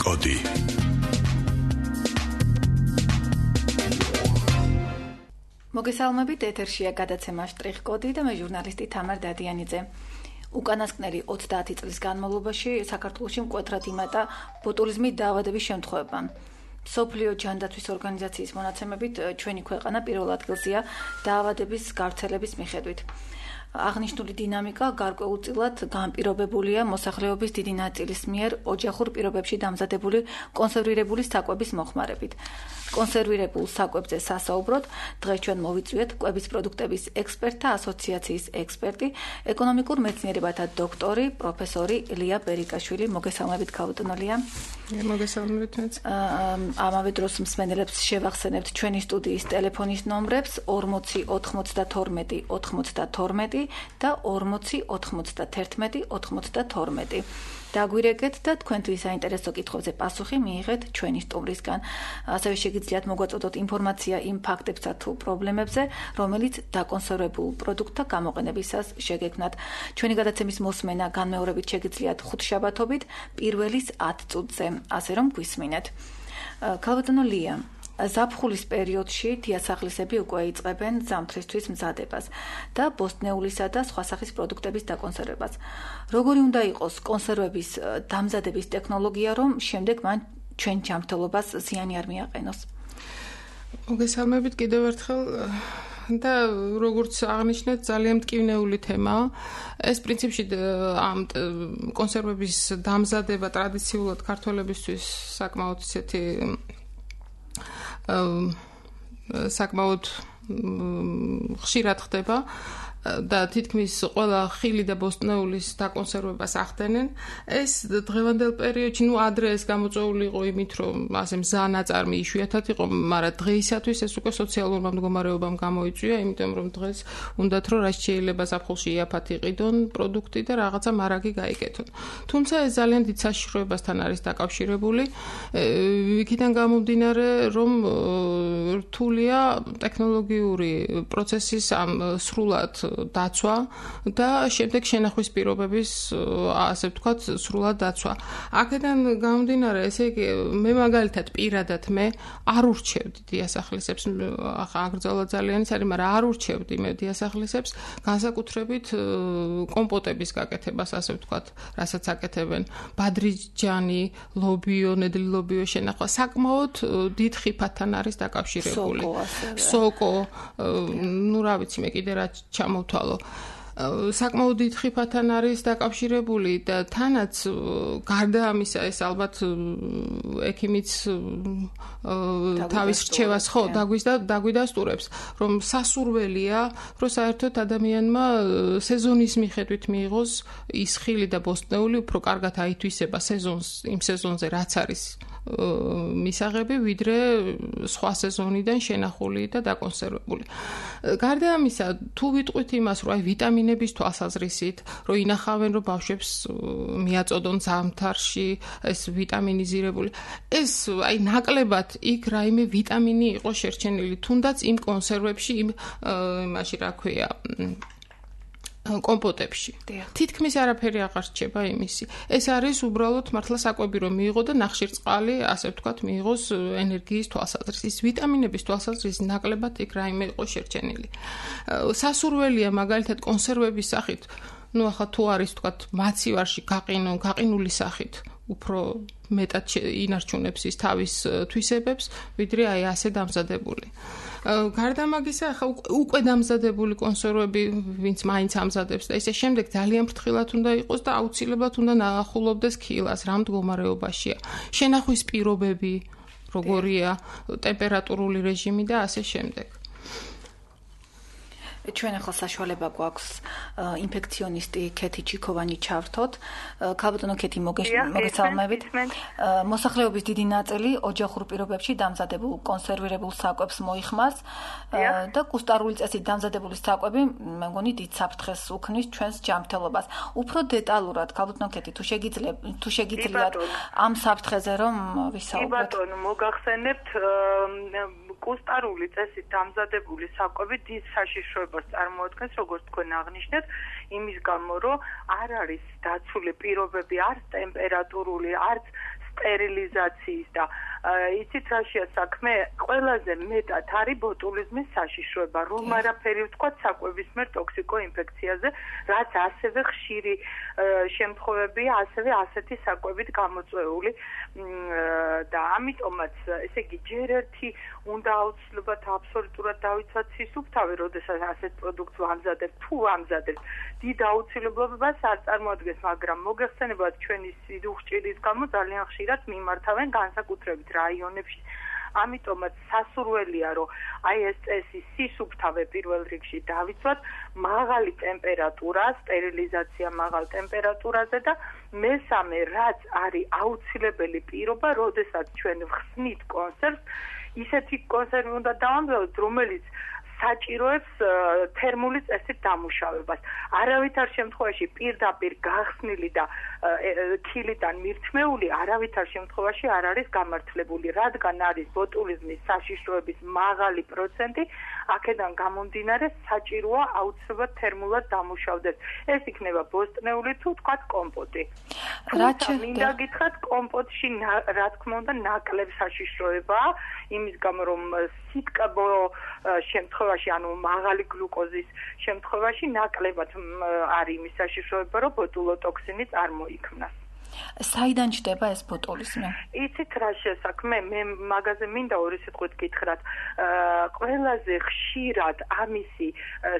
კოდი. მოგესალმებით, ეთერშია გადაცემა შტრიხ კოდი და მე ჟურნალისტი თამარ დადიანიძე. უკანასკნელი 30 წლის განმავლობაში საქართველოში მკვეთრად იმატა ბოტულიზმის დაავადების შემთხვევება. მსოფლიო ჯანდაცვის ორგანიზაციის მონაცემებით ჩვენი ქვეყანა პირველ ადგილზეა დაავადების გავრცელების მიხედვით. აღნიშნული დინამიკა გარკვეულწილად განპირობებულია მოსახლეობის დიდი ნაწილის მიერ ოჯახურ პირობებში დამზადებული კონსერვირებული საკვების მოხმარებით. კონსერვირებულ საკვებზე სასაუბროდ დღეს ჩვენ მოვიწვიეთ კვების პროდუქტების ექსპერტთა ასოციაციის ექსპერტი, ეკონომიკურ მეცნიერებათა დოქტორი, პროფესორი ლია ბერიკაშვილი. მოგესალმებით, ქალბატონო ლია. მოგესალმებით მეც. ამავე დროს მსმენელებს შევახსენებთ ჩვენი სტუდიის ტელეფონის ნომრებს 40 92 92 და 40 91 92. დაგვირეკეთ და თქვენთვის საინტერესო კითხვებზე პასუხი მიიღეთ ჩვენი სტუმრისგან. ასევე შეგიძლიათ მოგვაწოდოთ ინფორმაცია იმ ფაქტებსა თუ პრობლემებზე, რომელიც დაკონსერვებულ პროდუქტთა გამოყენებისას შეგექმნათ. ჩვენი გადაცემის მოსმენა განმეორებით შეგიძლიათ ხუთშაბათობით პირველის 10 წუთზე, ასე რომ გვისმინეთ. ქალბატონო ლია, ზაფხულის პერიოდში დიასახლისები უკვე იწყებენ ზამთრისთვის მზადებას და ბოსტნეულისა და სხვა სახის პროდუქტების დაკონსერვებას. როგორი უნდა იყოს კონსერვების დამზადების ტექნოლოგია, რომ შემდეგ მან ჩვენ ჯანმრთელობას ზიანი არ მიაყენოს? მოგესალმებით კიდევ ერთხელ და როგორც აღნიშნეთ, ძალიან მტკივნეული თემაა. ეს პრინციპში ამ კონსერვების დამზადება ტრადიციულად ქართველებისთვის საკმაოდ ისეთი საკმაოდ ხშირად ხდება და თითქმის ყველა ხილი და ბოსტნეულის დაკონსერვებას ახდენენ. ეს დღევანდელ პერიოდში, ადრე ეს გამოწვეული იყო იმით, რომ ასე მზანაწარმი იშვიათად იყო, მაგრამ დღეისათვის ეს უკვე სოციალურმა მდგომარეობამ გამოიწვია, იმიტომ რომ დღეს უნდათ რომ რაც შეიძლება ზაფხულში იაფად იყიდონ პროდუქტი და რაღაცა მარაგი გაიკეთონ. თუმცა ეს ძალიან დიდ საშიშროებასთან არის დაკავშირებული. იქიდან გამომდინარე, რომ რთულია ტექნოლოგიური პროცესის ამ სრულად დაცვა და შემდეგ შენახვის პირობების, ასე ვთქვათ, სრულად დაცვა. აქედან გამომდინარე, ესე იგი, მე მაგალითად პირადად მე არ ურჩევდი დიასახლისებს, აგრძელა ძალიან ის არის, მაგრამ არ ურჩევდი მე დიასახლისებს განსაკუთრებით კომპოტების გაკეთებას, ასე ვთქვათ, რასაც აკეთებენ ბადრიჯანი, ლობიო, ნედლი ლობიო შენახვა, საკმაოდ დიდ ხიფათთან არის დაკავშირებული. სოკო, ну, რა ვიცი, მე კიდე რა ჩამოვთვალო. საკმაოდ დიდ ხიფათთან არის დაკავშირებული და თანაც გარდა ამისა ეს ალბათ ექიმიც თავის რჩევას ხო დაგვიდასტურებს, რომ სასურველია, რომ საერთოდ ადამიანმა სეზონის მიხედვით მიიღოს ის ხილი და ბოსტნეული უფრო კარგად აითვისება იმ სეზონზე რაც არის მისაღები, ვიდრე სხვა სეზონიდან შენახული და დაკონსერვებული. გარდა ამისა, თუ ვიტყვით იმას, რომ ვიტამინების თვალსაზრისით, რომ ინახავენ, რომ ბავშვებს მიაწოდონ ზამთარში ეს ვიტამინიზირებული, ეს ნაკლებად იქ რაიმე ვიტამინი იყო შერჩენილი, თუნდაც იმ კონსერვებში, იმაში რა ქვია, კომპოტებში. თითქმის არაფერი აღარ რჩება იმისი. ეს არის უბრალოდ მართლა საკვები რომ მიიღო და ნახშირწყალი, ასე ვთქვათ, მიიღოს ენერგიის თვალსაზრისით. ვიტამინების თვალსაზრისით ნაკლებად იქ რაიმე იყო შერჩენილი. სასურველია მაგალითად კონსერვების სახით, ახლა თუ არის ვთქვათ, მაცივარში გაყინული სახით, უფრო მეტად ინარჩუნებს ის თავის თვისებებს, ვიდრე ასე დამზადებული. გარდა მაგისა, ახლა უკვე დამზადებული კონსერვები, ვინც მაინც ამზადებს და ისე შემდეგ ძალიან ფრთხილად უნდა იყოს და აუცილებლად უნდა ნაახულობდეს ქილას, რა მდგომარეობაშია. შენახვის პირობები, როგორია, ტემპერატურული რეჟიმი და ასე შემდეგ. ჩვენ ახლა საშუალება გვაქვს ინფექციონისტი ქეთი ჩიქოვანი ჩავრთოთ. ქალბატონო ქეთი, მოგესალმებით. მოსახლეობის დიდი ნაწილი ოჯახურ პირობებში დამზადებულ კონსერვირებულ საკვებს მოიხმარს და კუსტარული წესით დამზადებული საკვები, მე მგონი, დიდ საფრთხეს უქმნის ჩვენს ჯანმრთელობას. უფრო დეტალურად, ქალბატონო ქეთი, თუ შეგიძლიათ ამ საფრთხეზე რომ ვისაუბროთ. ბატონო, მოგახსენებთ კუსტარული წესით დამზადებული საკვები დიდ საშიშროებას წარმოადგენს, როგორც თქვენ აღნიშნეთ, იმის გამო, რომ არ არის დაცული პირობები, არც ტემპერატურული, არც სტერილიზაციის და იცით რაშია საქმე, ყველაზე მეტად არის ბოტულიზმის საშიშროება, რომ არაფერი ვთქვათ საკვებისმიერ ტოქსიკოინფექციაზე, რაც ასევე ხშირი შემთხვევებია, ასევე ასეთი საკვებით გამოწვეული და ამიტომაც, ესე იგი, ჯერ ერთი უნდა აუცილებლად აბსოლუტურად დავიცვათ სისუფთავი, როდესაც ასეთ პროდუქტს ვამზადებთ, თუ ვამზადებთ, დიდ აუცილებლობას არ წარმოადგენს, მაგრამ მოგეხსენებათ ჩვენი სიდუხჭირის გამო ძალიან ხშირად მიმართავენ განსაკუთრებით რაიონებში. ამიტომაც სასურველია, რომ აი ეს წესი სისუფთავე პირველ რიგში დავიცვათ, მაღალი ტემპერატურა, სტერილიზაცია მაღალ ტემპერატურაზე და მესამე, რაც არის აუცილებელი პირობა, როდესაც ჩვენ ვხსნით კონსერვს, ისეთი კონსერვი უნდა დავამზადოთ, რომელიც საჭიროებს თერმული წესით დამუშავებას. არავითარ შემთხვევაში პირდაპირ გახსნილი და ქილიდან მირთმეული არავითარ შემთხვევაში არ არის გამართლებული, რადგან არის ბოტულიზმის საშიშროების მაღალი პროცენტი, აქედან გამომდინარე საჭიროა აუცილებლად თერმულად დამუშავდეს. ეს იქნება ბოსტნეული თუ თქვათ კომპოტი. მინდა გითხრათ, კომპოტში რა თქმა უნდა ნაკლებ საშიშროებაა, იმის გამო რომ სიტკბო შემთხვევაში, ანუ მაღალი გლუკოზის შემთხვევაში ნაკლებად არის იმის საშიშროება, რომ ბოტულოტოქსინი წარმოიქმნას. საიდან ჩდება ეს ბოტულიზმი? იცით რა შესაქმე, მე მაგაზე მინდა ორი სიტყვით გითხრათ. ყველაზე ხშირად ამისი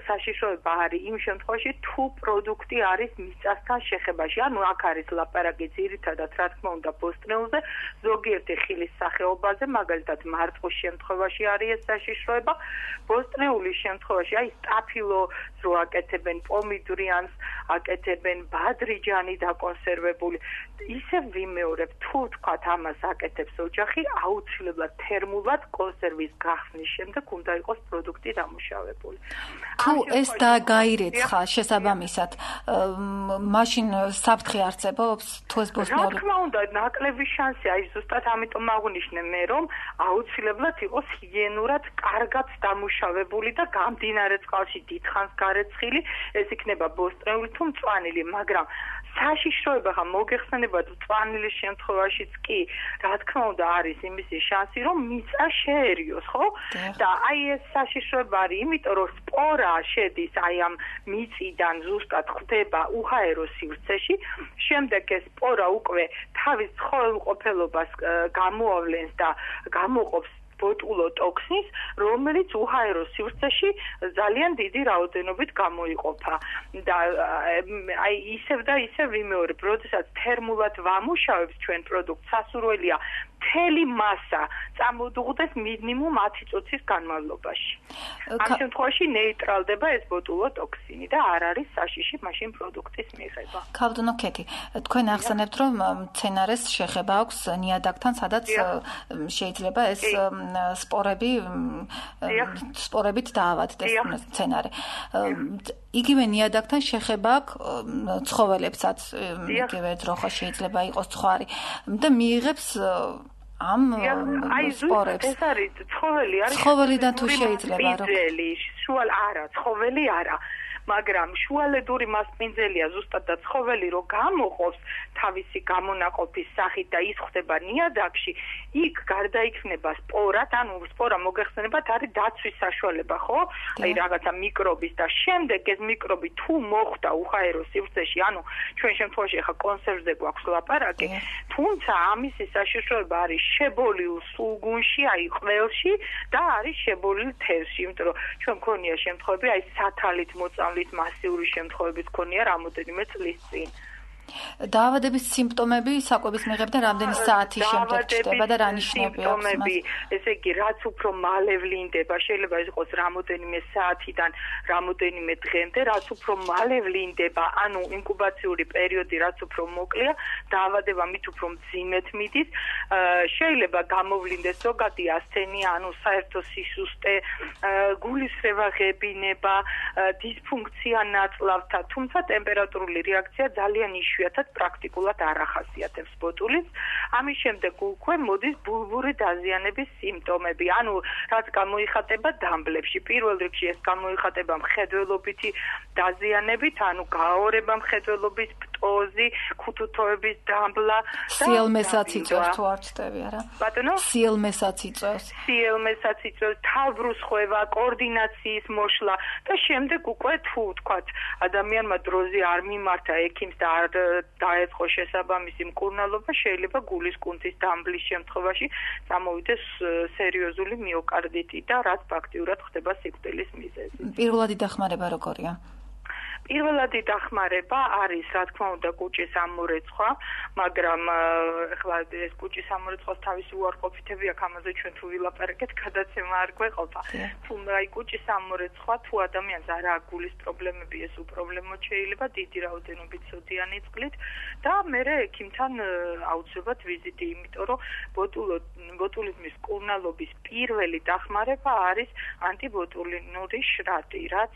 საშიშროება არის იმ შემთხვევაში, თუ პროდუქტი არის მიწასთან შეხებაში. ანუ აქ არის ლაპარაკი ძირითადად, რა თქმა უნდა, ბოსტნეულზე, ზოგიერთი ხილის სახეობაზე, მაგალითად მარტყვის შემთხვევაში არის ეს საშიშროება. ბოსტნეულის შემთხვევაში, აი სტაფილოს რო აკეთებენ, პომიდრიანს აკეთებენ, ბადრიჯანი დაკონსერვებული. ისე ვიმეორებ, თუ თქვათ ამას აკეთებს ოჯახი, აუცილებლად თერმულად კონსერვის გახსნის შემდეგ უნდა იყოს პროდუქტი დამუშავებული. თუ ეს გაირეცხა შესაბამისად, მაშინ საფრთხე არსებობს, თუ ეს ბოსტნეული? რა თქმა უნდა, ნაკლები შანსი, აი ზუსტად ამიტომ აღვნიშნე მე, რომ აუცილებლად იყოს ჰიგიენურად კარგად დამუშავებული და გამდინარე წყალში დიდხანს გარეცხილი, ეს იქნება ბოსტნეული თუ მწვანილი, მაგრამ საშიშროება ხა მოგეხსენებათ მწვანილის შემთხვევაშიც კი, რა თქმა უნდა არის იმისი შანსი, რომ მიწა შეერიოს, ხო? და აი ეს საშიშროება არის, იმიტომ რომ სპორა შედის აი ამ მიწიდან ზუსტად ხდება უჰაერო სივრცეში, შემდეგ ეს სპორა უკვე თავის ცხოველმყოფელობას გამოავლენს და გამოყოფს ბოტულოტოქსინს, რომელიც უჰაერო სივრცეში ძალიან დიდი რაოდენობით გამოიყოფა. და აი ისევ და ისევ ვიმეორებ, როდესაც თერმულად ვამუშავებთ ჩვენ პროდუქტს, სასურველია მთელი მასა წამოდუღდეს მინიმუმ 10 წუთის განმავლობაში. ამ შემთხვევაში ნეიტრალდება ეს ბოტულოტოქსინი და არ არის საშიში მაშინ პროდუქტის მიღება. ქალბატონო ქეთი, თქვენ ახსენებთ, რომ მცენარეს შეხება აქვს ნიადაგთან, სადაც შეიძლება ეს სპორებით დაავადდეს მცენარე. იგივე ნიადაგთან შეხება აქვს ცხოველებსაც, იგივე ძროხა შეიძლება იყოს ცხარი და მიიღებს ამ სპორებს. ეს არის ცხოველი, არის ცხოველიდან თუ შეიძლება რომ არა, ცხოველი არა. მაგრამ შუალედური მასპინძელია ზუსტად და ცხოველი რო გამოყოფს თავისი გამონაყოფის სახით და ის ხდება ნიადაგში, იქ გარდაიქმნება სპორად, ანუ სპორა მოგეხსენებათ არის დაცვის საშუალება, ხო? აი რაღაცა მიკრობის და შემდეგ ეს მიკრობი თუ მოხვდა უჰაერო სივრცეში, ანუ ჩვენ შემთხვევაში ახლა კონსერვზე გვაქვს ლაპარაკი, თუმცა ამისი საშიშროება არის შებოლილ სულგუნში, აი ყველში და არის შებოლილ თევზში, იმიტომ რომ ჩვენ მქონია შემთხვევები, აი სათალით მოწამლით მასიური შემთხვევებიც მქონია რამოდენიმე წლის წინ. დაავადების სიმპტომები საკვების მიღებიდან რამდენი საათის შემდეგ ჩდება და რა ნიშნები აქვს მას? ესე იგი, რაც უფრო მალე ვლინდება, შეიძლება ეს იყოს რამოდენიმე საათიდან რამოდენიმე დღემდე, რაც უფრო მალე ვლინდება, ანუ ინკუბაციური პერიოდი რაც უფრო მოკლეა, დაავადება მით უფრო მძიმედ მიდის, შეიძლება გამოვლინდეს ზოგადი ასთენია, ანუ საერთო სისუსტე, გულისრევა, ღებინება, დისფუნქცია ნაწლავთა, თუმცა ტემპერატურული რეაქცია ძალიან იშვიათად პრაქტიკულად არ ახასიათებს ბოტულს. ამის შემდეგ უკვე მოდის ბულბური დაზიანების სიმპტომები, ანუ რაც გამოიხატება დამბლებში. პირველ რიგში ეს გამოიხატება მხედველობითი დაზიანებით, ანუ გაორება მხედველობის, პოზი, ქუთუთოების დამბლა და სიელმესაც იწევს თუ არ ვწდები არა? ბატონო? სიელმესაც იწევს. სიელმესაც იწევს, თავბრუსხვევა, კოორდინაციის მოშლა და შემდეგ უკვე თუ ვთქვათ, ადამიანმა დროზე არ მიმართა ექიმს და არ დაეწყო შესაბამისი მკურნალობა, შეიძლება გულის კუნთის დამბლის შემთხვევაში წამოვიდეს სერიოზული მიოკარდიტი და რაც ფაქტიურად ხდება სიკვდილის მიზეზი. პირველადი დახმარება როგორია? პირველადი დახმარება არის, რა თქმა უნდა, კუჭის ამორეცხვა, მაგრამ ეხლა ეს კუჭის ამორეცხვის თავისი უარყოფითები აქვს, ამაზე ჩვენ თუ ვილაპარაკეთ, გადაცემა არ გვეყოფა. თუ აი კუჭის ამორეცხვა, თუ ადამიანს არ აქვს გულის პრობლემები, ეს უპრობლემოდ შეიძლება დიდი რაოდენობით სოდიანი წყლით და მერე ექიმთან აუცილებლად ვიზიტი, იმიტომ რომ ბოტულიზმის მკურნალობის პირველი დახმარება არის ანტიბოტულინური შრატი, რაც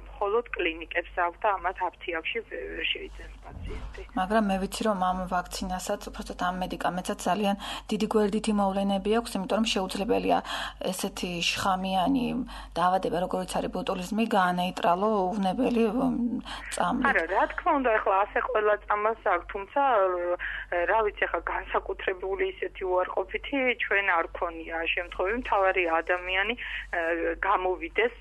მხოლოდ კლინიკებს და ამათ აფთიაქში ვერ შეიძენს პაციენტი. მაგრამ მე ვიცი რომ ამ ვაქცინასაც, უბრალოდ ამ მედიკამენტსაც ძალიან დიდი გვერდითი მოვლენები აქვს, იმიტომ რომ შეუძლებელია ესეთი შხამიანი დაავადება, როგორც არის ბოტულიზმი, გაანეიტრალო უვნებელი წამლით. არა, რა თქმა უნდა, ახლა ასე ყველა წამას აქვს, თუმცა რა ვიცი, ახლა განსაკუთრებული ისეთი უარყოფითი ჩვენ არ ქონია შემთხვევები, მთავარი ადამიანი გამოვიდეს,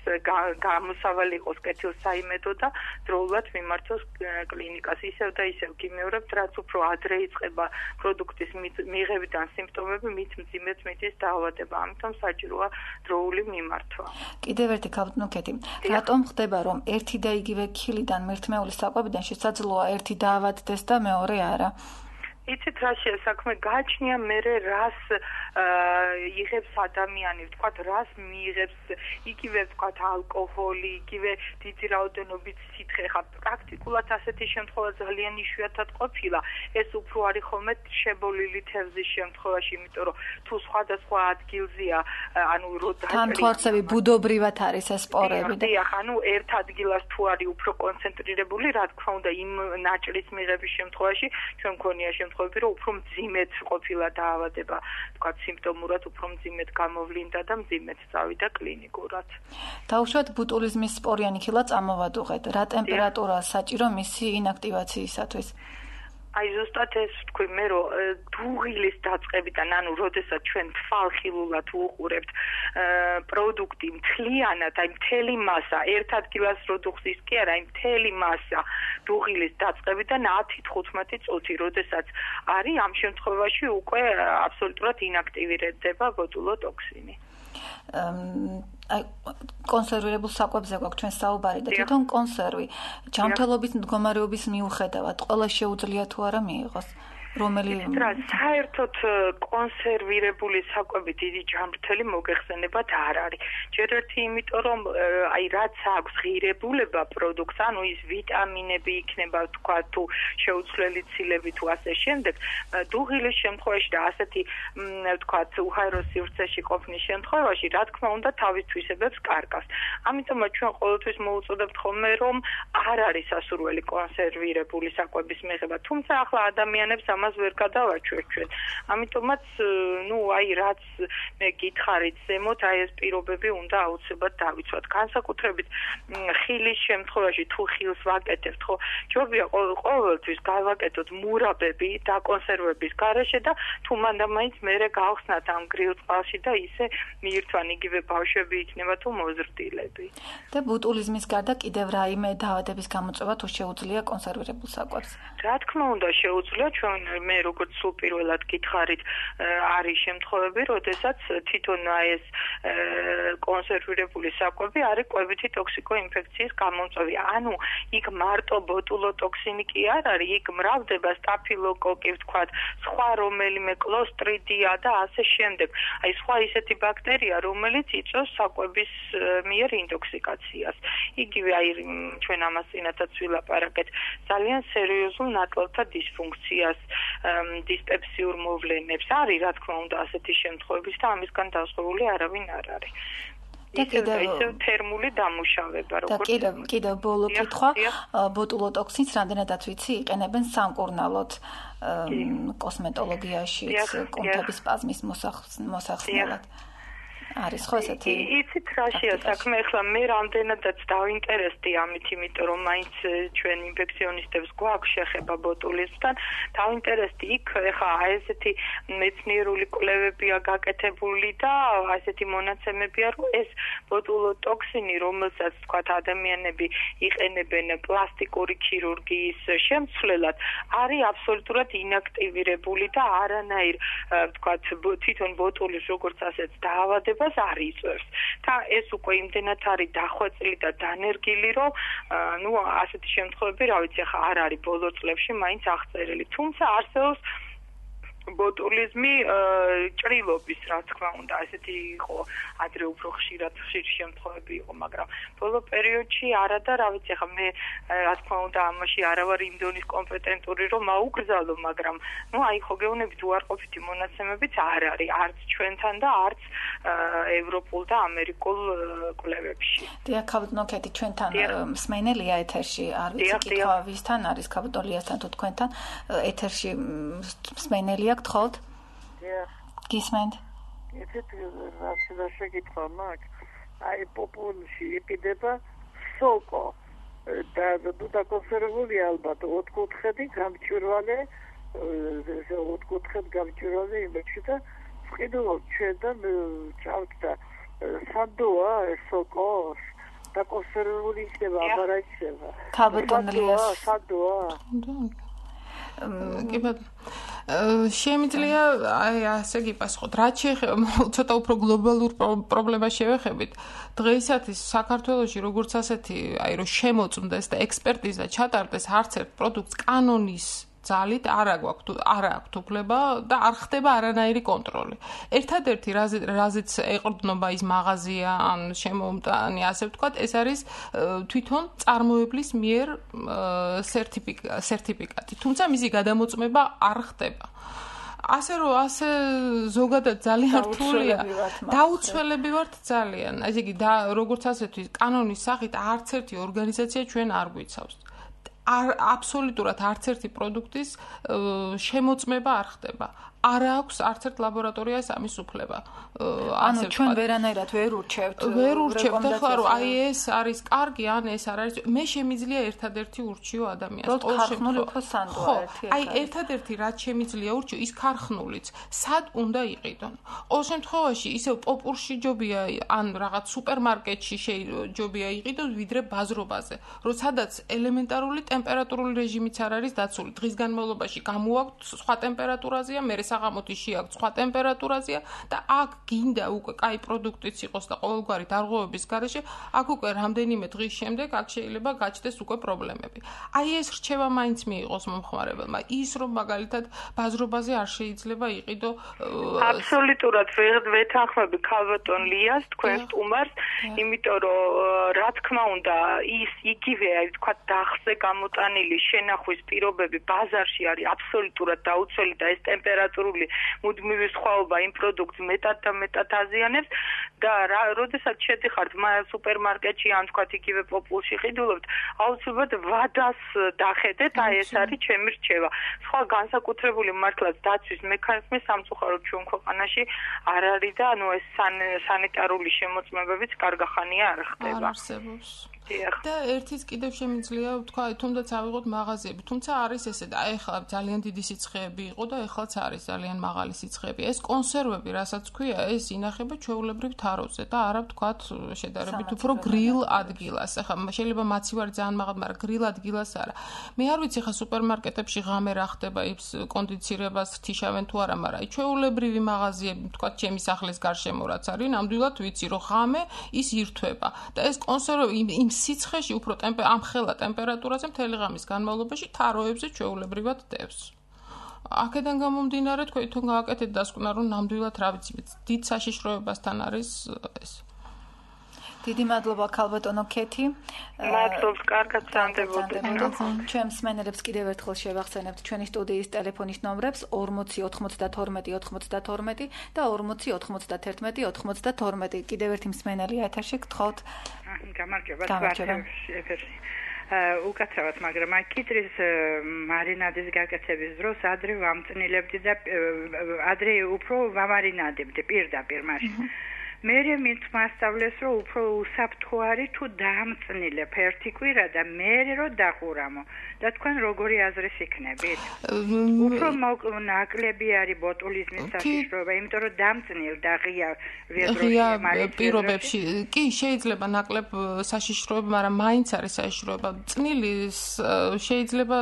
გამოსავალი იყოს კეთილსაიმედო და დროულად მიმართოს კლინიკას. ისევ და ისევ გიმეორებთ, რაც უფრო ადრე იწყება პროდუქტის მიღებიდან სიმპტომები, მით მძიმედ მიდის დაავადება. ამიტომ საჭიროა დროული მიმართვა. კიდევ ერთი ქალბატონო, რატომ ხდება, რომ ერთი და იგივე ქილიდან მერთმეული საკვებიდან შესაძლოა ერთი დაავადდეს და მეორე არა? იცით რა საქმე გაჩნია მერე რას იღებს ადამიანი, ვთქვათ, რას მიიღებს, იგივე ვთქვათ ალკოჰოლი, იგივე დიდი რაოდენობით სითხე, ხა პრაქტიკულად ასეთი შემთხვევა ძალიან იშვიათად ყოფილა. ეს უფრო არის ხოლმე შებოლილი თევზის შემთხვევაში, იმიტომ რომ თუ სხვადასხვა ადგილზეა, ანუ თანთვარსები ბუდობრივად არის ეს სპორები და ანუ ერთ ადგილას თუ არის უფრო კონცენტრირებული, რა თქმა უნდა, იმ ნაჭრის მიღების შემთხვევაში ჩვენ მქონია შემთხვევები, რომ უფრო მძიმედ ყოფილა დაავადება, თქვა სიმპტომურად უფრო მძიმედ გამოვლინდა და მძიმედ წავიდა კლინიკურად. დაუშვათ ბოტულიზმის სპორიანი ქილა წამოვადუღეთ. რა ტემპერატურა საჭირო მისი ინაქტივაციისათვის? აი ზუსტად ეს ვთქვი მე, რომ დუღილის დაწყებიდან, ანუ როდესაც ჩვენ თვალხილულად უყურებთ პროდუქტი მთლიანად, აი მთელი მასა, ერთ ადგილას რო დუღზის კი არა, აი მთელი მასა დუღილის დაწყებიდან 10-15 წუთი, როდესაც არის ამ შემთხვევაში უკვე აბსოლუტურად ინაქტივირდება ბოტულოტოქსინი. აი კონსერვირებულ საკვებზე გვაქვს ჩვენ საუბარი და თვითონ კონსერვი ჯანმრთელობის მდგომარეობის მიუხედავად ყველა შეუძლია თუ არა მიიღოს. საერთოდ კონსერვირებული საკვები დიდი ჯანმრთელი მოგეხსენებათ არ არის. ჯერ ერთი იმიტომ რომ აი რაც აქვს ღირებულება პროდუქტს, ანუ ის ვიტამინები იქნება, თქვა თუ შეუცვლელი ცილები თუ ასე შემდეგ, დუღილის შემთხვევაში და ასეთი თქვა უჰაერო სივრცეში ყოფნის შემთხვევაში, რა თქმა უნდა, თავის თვისებებს კარგავს. ამიტომაც ჩვენ ყოველთვის მოუწოდებთ ხოლმე რომ არ არის სასურველი კონსერვირებული საკვების მიღება, თუმცა ახლა ადამიანებს ამას ვერ გადავაჩვევთ ჩვენ. ამიტომაც, აი რაც მე გითხარით ზემოთ, აი ეს პირობები უნდა აუცილებლად დავიცვათ. განსაკუთრებით ხილის შემთხვევაში თუ ხილს ვაკეთებთ, ხო, ჯობია ყოველთვის გავაკეთოთ მურაბები დაკონსერვების გარეშე და თუ მანდ-მაინც მერე გავხსნათ ამ გრილ წყალში და ისე მიირთვან იგივე ბავშვები იქნება თუ მოზრდილები. და ბოტულიზმის გარდა კიდევ რაიმე დაავადების გამოწვევა თუ შეუძლია კონსერვირებულ საკვებს? რა თქმა უნდა შეუძლია, ჩვენ მე როგორც სულ პირველად გითხარით, არის შემთხვევები, როდესაც თვითონ ეს კონსერვირებული საკვები არის კვებითი ტოქსიკოინფექციის გამომწვევი. ანუ იქ მარტო ბოტულოტოქსინი კი არ არის, იქ მრავლდება სტაფილოკოკი, ვთქვათ, სხვა რომელიმე კლოსტრიდია და ასე შემდეგ. აი სხვა ისეთი ბაქტერია, რომელიც იწვევს საკვების მიერ ინტოქსიკაციას. იგივე აი ჩვენ ამას წინათაც ვილაპარაკეთ, ძალიან სერიოზულ ნატლავთა დისფუნქციას, დისპეპსიურ მოვლენებს არის, რა თქმა უნდა, ასეთი შემთხვევების და ამისგან დასწრებული არავინ არ არის. ისევ თერმული დამუშავება, როგორც და კიდევ ბოლო კითხვა, ბოტულოტოქსინს რამდენადაც ვიცი, იყენებენ სამკურნალოდ კოსმეტოლოგიაში, კუნთების სპაზმის მოსახსნელად. არის ხო ესეთი? იცით რაშია საქმე, ახლა მე რამდენადაც დავინტერესდი ამით, იმიტომ რომ მაინც ჩვენ ინფექციონისტებს გვაქვს შეხება ბოტულიზმთან, დავინტერესდი იქ ახლა ესეთი მეცნიერული კვლევებია გაკეთებული და ესეთი მონაცემებია, რომ ეს ბოტულოტოქსინი, რომელსაც თქვათ ადამიანები იყენებენ პლასტიკური ქირურგიის შემცვლელად, არის აბსოლუტურად ინაქტივირებული და არანაირ თქვათ თვითონ ბოტულის როგორც ასეც დაავადებას არ იწვევს. და ეს უკვე იმდენად არის დახვეწილი და დანერგილი, რომ ნუ ასეთი შემთხვევები, რა ვიცი, ახლა არ არის ბოლო წლებში მაინც აღწერილი. თუმცა არსებობს ბოტულიზმი ჭრილობის, რა თქმა უნდა, ესეთი იყო ადრე უფრო ხშირი შემთხვევები იყო, მაგრამ ბოლო პერიოდში არა და რა ვიცი, ახლა მე რა თქმა უნდა ამაში არ ვარ იმ დონის კომპეტენტური, რომ აუგზავნო, მაგრამ ნუ აი ხო გეუბნებით უარყოფითი მონაცემებიც არ არის არც ჩვენთან და არც ევროპულ და ამერიკულ კვლევებში. დიახ, ქაბუტონოკეთი ჩვენთან მსმენელია ეთერში, არ ვიცი კითხვა ვისთან არის ქაბუტოლიასთან თუ თქვენთან ეთერში მსმენელია გთხოვთ? დიახ. გისმენთ? იცით რა შეკითხვა მაქვს? აი პოპულში იყიდება სოკო და დაკონსერვებული ალბათ 4 კუთხედი გამჭვირვალე, 4 კუთხედი გამჭვირვალე იმაში და ვყიდულობ ჩვენ და ჩავთ და სადოა ეს სოკო დაკონსერვებული იქნება, აბარა იქნება. ქაბუტონლიას სადოა. კი ბატონო შემიძლია აი ასე გიპასუხოთ რაც შეეხება ცოტა უფრო გლობალურ პრობლემას შევეხებით დღეისათვის საქართველოში როგორც ასეთი აი რომ შემოწმდეს და ექსპერტიზა ჩატარდეს არც ერთ პროდუქტს კანონის ძალით არ აქვს უფლება და არ ხდება არანაირი კონტროლი. ერთადერთი რაზეც ეყრდნობა ის მაღაზია ან შემოუმტანი ასე ვთქვათ, ეს არის თვითონ წარმოებლის მიერ სერტიფიკატი. თუმცა მისი გადამოწმება არ ხდება. ასე ზოგადად ძალიან რთულია. დაუცველები ვართ ძალიან. ესე იგი როგორც ასეთი კანონის სახით არც ერთი ორგანიზაცია ჩვენ არ გვიცავს. აბსოლუტურად არც ერთი პროდუქტის შემოწმება არ ხდება. არ აქვს არც ერთ ლაბორატორიას ამის უფლება. ანუ ჩვენ ვერანაირად ვერ ურჩევთ. ეხლა რომ აი ეს არის კარგი, ან ეს არ არის. მე შემიძლია ერთადერთი ურჩიო ადამიანს. ქარხნული უფრო სანდოა ერთი. აი ერთადერთი რაც შემიძლია ურჩიო ის ქარხნულიც. სად უნდა იყიდონ? ყოველ შემთხვევაში ისევ პოპურში ჯობია ან რაღაც სუპერმარკეტში ჯობია იყიდოს ვიდრე ბაზრობაზე. როდესაც ელემენტარული ტემპერატურული რეჟიმიც არ არის დაცული. დღის განმავლობაში გამოვაქვთ სხვა ტემპერატურაზეა, მე საღამოთი შეაქვთ სხვა ტემპერატურაზეა და აქ გინდა უკვე კაი პროდუქტიც იყოს და ყოველგვარი დარღვევების გარეშე, აქ უკვე რამდენიმე დღის შემდეგ აქ შეიძლება გაჩნდეს უკვე პრობლემები. აი ეს რჩევა მაინც მიიღოს მომხმარებელმა. ის რომ მაგალითად ბაზრობაზე არ შეიძლება იყიდო აბსოლუტურად ვეთანხმები ქალბატონ ლიას თქვენ სტუმარს, იმიტომ რომ რა თქმა უნდა ის იგივე აი თქვა დახზე გამოტანილი შენახვის პირობები ბაზარში არის აბსოლუტურად დაუცველი და ეს ტემპერატურული მუდმივი სხვაობა იმ პროდუქტს მეტად და მეტად აზიანებს და როდესაც შედიხართ სუპერმარკეტში ან თქვათ იგივე პოპულში ყიდულობთ, აუცილებლად ვადას დახედეთ, აი ეს არის ჩემი რჩევა. სხვა განსაკუთრებული მართლაც დაცვის მექანიზმი სამწუხაროდ ჩვენ ქვეყანაში არ არის და ანუ ეს სანიტარული შემოწმებებიც კარგახანია არ ხდება. არ არსებობს. და ერთიც კიდევ შემიძლია ვთქვა, თუნდაც ავიღოთ მაღაზიები, თუმცა არის ესე და ეხლა ძალიან დიდი სიცხეები იყო და ეხლაც არის ძალიან მაღალი სიცხეები. ეს კონსერვები, რასაც ქვია, ეს ინახება ჩვეულებრივ თაროზე და არა ვთქვათ შედარებით უფრო გრილ ადგილას. ეხლა შეიძლება მაცივარი ძალიან მაღალი, მაგრამ გრილ ადგილას არა. მე არ ვიცი ხა სუპერმარკეტებში ღამე რა ხდება, ის კონდიცირებას რთიშავენ თუ არა, მაგრამ ჩვეულებრივი მაღაზიები, ვთქვათ, ჩემი სახლის გარშემო რაც არის, ნამდვილად ვიცი, რომ ღამე ის ირთვება და ეს კონსერვები იმ სიცხეში უფრო ამ ხელა ტემპერატურაზე მთელი ღამის განმავლობაში თაროებზე ჩვეულებრივად დევს. აქედან გამომდინარე თქვენ თვითონ გააკეთეთ დასკვნა, რომ ნამდვილად რა ვიცი, დიდ საშიშროებასთან არის ეს. დიდი მადლობა ქალბატონო ქეთი. მადლობს, კარგად სანდებოდეთ. ჩვენ მსმენელებს კიდევ ერთხელ შევახსენებთ ჩვენი სტუდიის ტელეფონის ნომრებს 40 92 92 და 40 91 92. კიდევ ერთი მსმენელია ეთერში, გთხოვთ. გამარჯობა, ეთერში. უკაცრავად, მაგრამ აი კიტრის მარინადის გაკეთების დროს ადრე ვამწნილებდი და ადრე უფრო ვამარინადებდი პირდაპირ მაშინ. მერე მით მასწავლეს რომ უფრო უსაფრთხო არის თუ დაამწნილებ ერთი კვირა და მერე რომ დახურამო და თქვენ როგორი აზრის იქნებით? უფრო ნაკლები არის ბოტულიზმის საშიშროება, იმიტომ რომ დამწნილ და ღია პირობებში კი შეიძლება ნაკლებ საშიშროება, მაგრამ მაინც არის საშიშროება. წნილი შეიძლება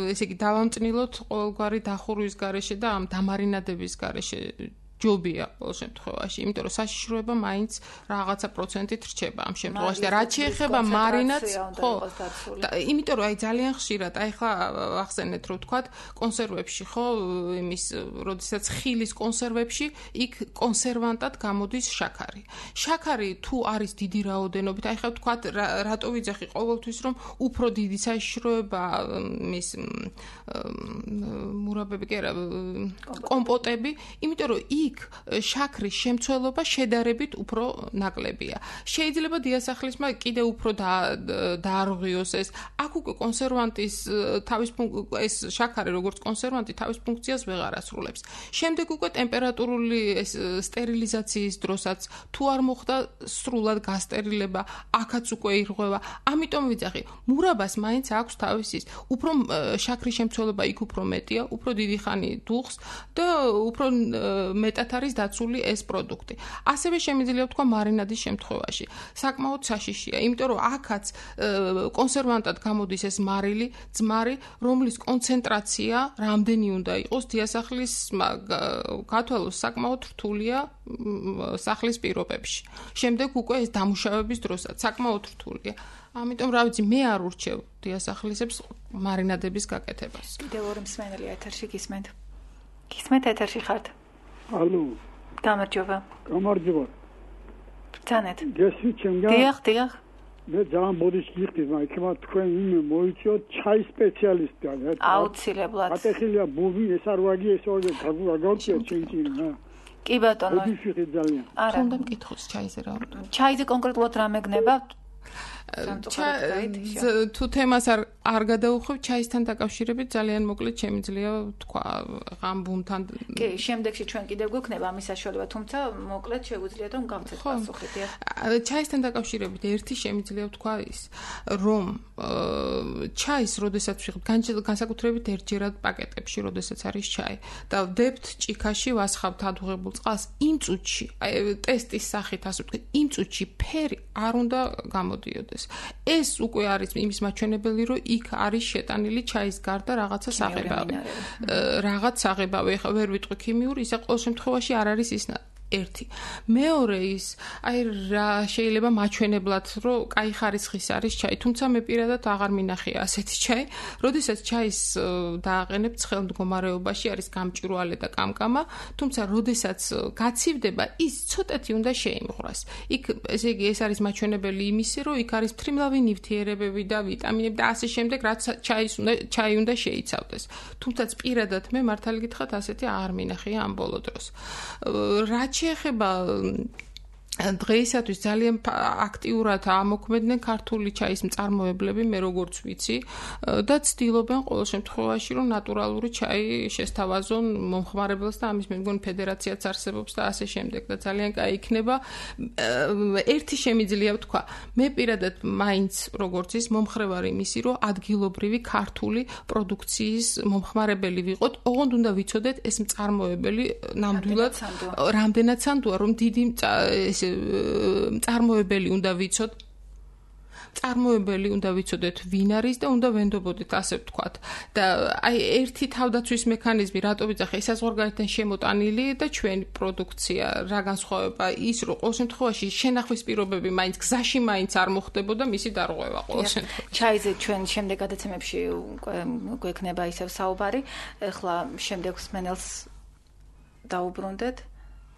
ესე იგი დავამწნილოთ ყოველგვარი დახურვის გარეშე და ამ დამარინადების გარეშე ჯობია ყოველ შემთხვევაში, იმიტომ რომ საშიშროება მაინც რაღაცა პროცენტით რჩება ამ შემთხვევაში და რაც შეეხება მარინადს, ხო, იმიტომ რომ აი ძალიან ხშირად, აი ხა ახსენეთ რომ თქვათ კონსერვებში, ხო, იმის, როდესაც ხილის კონსერვებში იქ კონსერვანტად გამოდის შაქარი. შაქარი თუ არის დიდი რაოდენობით, აი ხა თქვათ რატო ვიძახი ყოველთვის რომ უფრო დიდი საშიშროება მის მურაბები კი არა, კომპოტები, იმიტომ რომ შაქრის შემცველობა შედარებით უფრო ნაკლებია. შეიძლება დიასახლისმა კიდე უფრო დაარღვიოს ეს. აქ უკვე კონსერვანტის ეს შაქარი როგორც კონსერვანტი თავის ფუნქციას ვეღარ ასრულებს. შემდეგ უკვე ტემპერატურული ეს სტერილიზაციის დროსაც თუ არ მოხდა სრულად გასტერილება, აქაც უკვე ირღვევა. ამიტომ ვიძახი, მურაბას მაინც აქვს თავისი უფრო შაქრის შემცველობა იქ უფრო მეტია, უფრო დიდი ხანი დუხს და უფრო მეტად არის დაცული ეს პროდუქტი. ასევე შემიძლია ვთქვა მარინადის შემთხვევაში. საკმაოდ საშიშია, იმიტომ რომ აქაც კონსერვანტად გამოდის ეს მარილი, ძმარი, რომლის კონცენტრაცია რამდენი უნდა იყოს დიასახლის გათვალოს საკმაოდ რთულია სახლის პირობებში. შემდეგ უკვე ეს დამუშავების დროსაც საკმაოდ რთულია. ამიტომ რა ვიცი, მე არ ურჩევ დიასახლისებს მარინადების გაკეთებას. კიდევ ორი მსმენელი ეთერში გისმენთ. გისმენთ ეთერში ხართ? ალო. გამარჯობა. გამარჯობა. ბრძანეთ. გესმით ჩემგან? დიახ. მე ძალიან ბოდიში გიხდით, მაგრამ თქვენ იმ მოიწიოთ ჩაის სპეციალისტი არა? აუცილებლად. ატეხილია ბუბი, ეს არ ვაგი, ეს ორზე გავგავწიოთ ჩემკინა. კი ბატონო. ბოდიში ხით ძალიან. არა. თუნდა მკითხოს ჩაიზე რა. ჩაიზე კონკრეტულად რა მეგნება? თუ თემას არ გადაუხვევ, ჩაისთან დაკავშირებით ძალიან მოკლედ შემიძლია თქვა ამ ბუმთან. კი, შემდეგში ჩვენ კიდევ გვექნება ამის საშუალება, თუმცა მოკლედ შეგვიძლია რომ გავცეთ პასუხი. ჩაისთან დაკავშირებით ერთი შემიძლია თქვა ის, რომ ჩაის, როდესაც ვიღებ განსაკუთრებით ერთჯერად პაკეტებში, როდესაც არის ჩაი და ვდებთ ჭიქაში, ვასხავთ ადუღებულ წყალს, იმ წუთში, აი ტესტის სახით ასე ვთქვით, იმ წუთში ფერი არ უნდა გამოდიოდეს. ეს უკვე არის იმის მაჩვენებელი, რომ იქ არის შეტანილი ჩაის გარდა რაღაცა საღებავი. რაღაც საღებავი, ეხლა ვერ ვიტყვი ქიმიური, ისე ყოველ შემთხვევაში არ არის ის ერთი. მეორე ის, აი რა შეიძლება მაჩვენებლად, რომ კაი ხარისხის არის ჩაი, თუმცა მე პირადად აღარ მინახია ასეთი ჩაი, როდესაც ჩაის დააყენებ ცხელ მდგომარეობაში არის გამჭვირვალე და კამკამა, თუმცა როდესაც გაცივდება, ის ცოტათი უნდა შეიმღვრას. იქ ესე იგი ეს არის მაჩვენებელი იმისი, რომ იქ არის ფრიმლავი ნივთიერებები და ვიტამინები და ასე შემდეგ, რაც ჩაი უნდა შეიცავდეს. თუმცა პირადად მე მართალი გითხრათ ასეთი აღარ მინახია ამ ბოლო დროს. რაც შეეხება დღეისათვის ძალიან აქტიურად ამოქმედნენ ქართული ჩაის მწარმოებლები, მე როგორც ვიცი, და ცდილობენ ყოველ შემთხვევაში, რომ ნატურალური ჩაი შესთავაზონ მომხმარებელს და ამის მე მგონი ფედერაციაც არსებობს და ასე შემდეგ და ძალიან კაი იქნება. ერთი შემიძლია ვთქვა, მე პირადად მაინც როგორც ის მომხრევარი იმისი, რომ ადგილობრივი ქართული პროდუქციის მომხმარებელი ვიყოთ, ოღონდ უნდა ვიცოდეთ ეს მწარმოებელი ნამდვილად რამდენად სანდოა, რომ დიდი მწარმოებელი უნდა ვიცოდეთ. წარმოებელი უნდა ვიცოდეთ ვინ არის და უნდა ვენდობოდეთ ასე ვთქვათ. და აი ერთი თავდაცვის მექანიზმი რატო ვიძახე, საზღვარგარეთიდან შემოტანილი და ჩვენი პროდუქცია რა განსხვავება ის, რომ ყოველ შემთხვევაში შენახვის პირობები მაინც გზაში მაინც არ მოხდებოდა მისი დარღვევა ყოველ შემთხვევაში. ჩაიზე ჩვენ შემდეგ გადაცემებში გვექნება ისევ საუბარი. ეხლა შემდეგ მსმენელს დაუბრუნდეთ.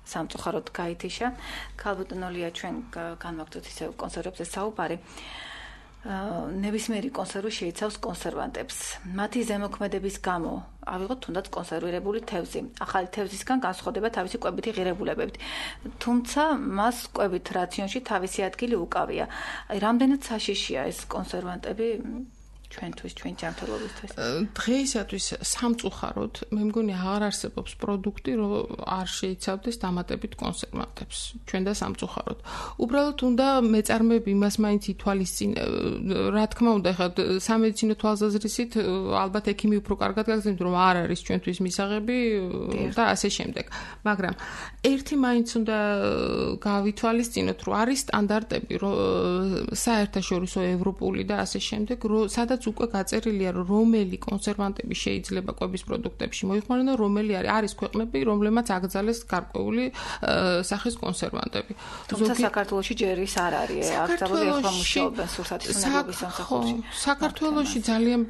სამწუხაროდ გაითიშა. ქალბატონოლია ჩვენ განვაგრძოთ ისევ კონსერვებზე საუბარი. ნებისმიერი კონსერვი შეიცავს კონსერვანტებს. მათი ზემოქმედების გამო ავიღოთ თუნდაც კონსერვირებული თევზი. ახალი თევზისგან განსხვავდება თავისი კვებითი ღირებულებებით. თუმცა მას კვებით რაციონში თავისი ადგილი უკავია. აი რამდენად საშიშია ეს კონსერვანტები ჩვენთვის, ჩვენ ჯანმრთელობისთვის? დღეისათვის სამწუხაროდ, მე მგონი აღარ არსებობს პროდუქტი, რომ არ შეიცავდეს დამატებით კონსერვანტებს. ჩვენ და სამწუხაროდ. უბრალოდ უნდა მეწარმეები იმას მაინც ითვალისწინებენ, რა თქმა უნდა, ხა სამედიცინო თვალსაზრისით ალბათ ექიმი უფრო კარგად გაგზავნით, რომ არ არის ჩვენთვის მისაღები და ასე შემდეგ. მაგრამ ერთი მაინც უნდა გავითვალისწინოთ, რომ არის სტანდარტები, საერთაშორისო ევროპული და ასე შემდეგ, სადაც უკვე გაწერილია, რომ რომელი კონსერვანტები შეიძლება კვების პროდუქტებში მოიხმარონ, რომელი არის ქვეყნები, რომლებმაც აკრძალეს გარკვეული სახის კონსერვანტები. თუმცა საქართველოში ჯერ ის არ არის, აკრძალული ახლა მუშაობენ სურსათის უნებობის სამსახურში. საქართველოში ძალიან